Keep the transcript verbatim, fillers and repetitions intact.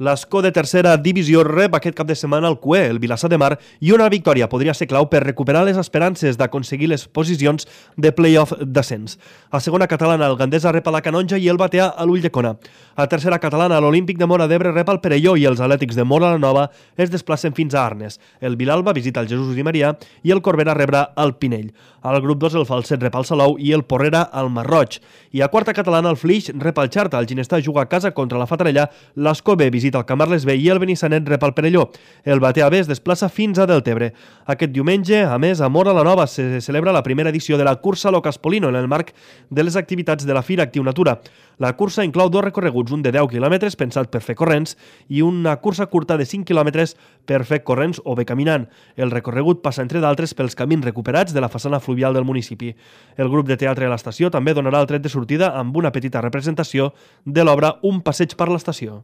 L'Escó de tercera divisió rep aquest cap de setmana el Cué, el Vilassar de Mar, i una victòria podria ser clau per recuperar les esperances d'aconseguir les posicions de play-off d'ascens. A segona catalana, el Gandesa rep a la Canonja i el Batea a l'Ulldecona. A tercera catalana, l'Olímpic de Móra d'Ebre rep al Perelló i els Atlètics de Móra la Nova es desplacen fins a Arnes. El Vilalba visita el Jesús i Maria i el Corbera rebrà al Pinell. Al grup dos, el Falset rep al Salou i el Porrera al Masroig. I a quarta catalana, el Flix rep al Xarta, el Ginestà juga a casa contra la Fatarella, l'Escó B visita el Camarles B i el Benissanet rep al Perelló. El Batea B es desplaça fins a Deltebre. Aquest diumenge, a més, a Móra la Nova se celebra la primera edició de la cursa Lo Caspolino en el marc de les activitats de la Fira Actiu Natura. La cursa inclou dos recorreguts, un de deu quilòmetres pensat per fer corrents i una cursa curta de cinc quilòmetres per fer corrents o bé caminant. El recorregut passa, entre d'altres, pels camins recuperats de la façana fluvial del municipi. El grup de teatre de l'estació també donarà el tret de sortida amb una petita representació de l'obra Un passeig per l'estació.